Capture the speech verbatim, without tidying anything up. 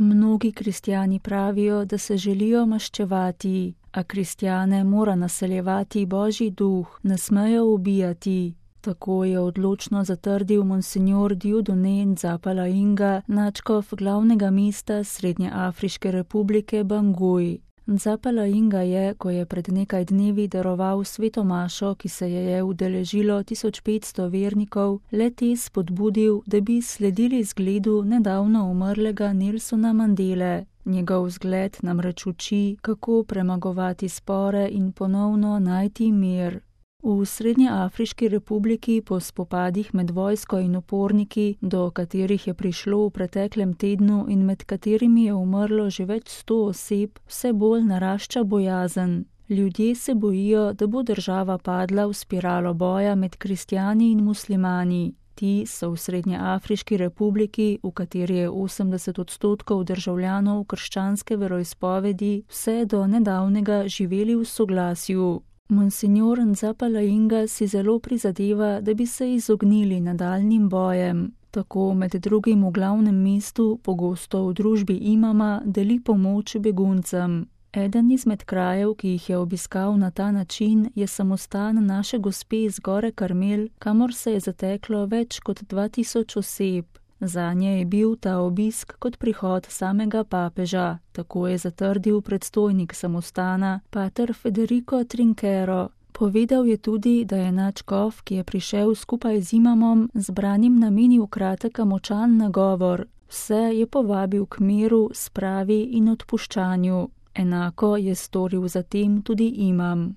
Mnogi kristjani pravijo, da se želijo maščevati, a kristjane mora naseljevati Božji duh, ne smejo ubijati. Tako je odločno zatrdil monsinjor Dieudonné Nzapalainga, nadškof glavnega mesta Srednjeafriške republike Bangui. Nzapalainga je, ko je pred nekaj dnevi daroval sveto mašo, ki se je je udeležilo tisoč petsto vernikov, le-te spodbudil, da bi sledili zgledu nedavno umrlega Nelsona Mandele. Njegov zgled namreč uči, kako premagovati spore in ponovno najti mir. V Srednjeafriški republiki po spopadih med vojsko in uporniki, do katerih je prišlo v preteklem tednu in med katerimi je umrlo že več sto oseb, vse bolj narašča bojazen. Ljudje se bojijo, da bo država padla v spiralo boja med kristjani in muslimani. Ti so v Srednjeafriški republiki, v kateri je osemdeset odstotkov državljanov krščanske veroizpovedi, vse do nedavnega živeli v soglasju. Monsinjor Nzapalainga si zelo prizadeva, da bi se izognili nadaljnjim bojem. Tako med drugim v glavnem mestu, pogosto v družbi imama, deli pomoč beguncem. Eden izmed krajev, ki jih je obiskal na ta način, je samostan naše gospe iz Gore Karmel, kamor se je zateklo več kot dva tisoč oseb. Zanje je bil ta obisk kot prihod samega papeža, tako je zatrdil predstojnik samostana, pater Federico Trinchero. Povedal je tudi, da je nadškof, ki je prišel skupaj z imamom, zbranim namenil kratek a močan nagovor. Vse je povabil k miru, spravi in odpuščanju. Enako je storil zatem tudi imam.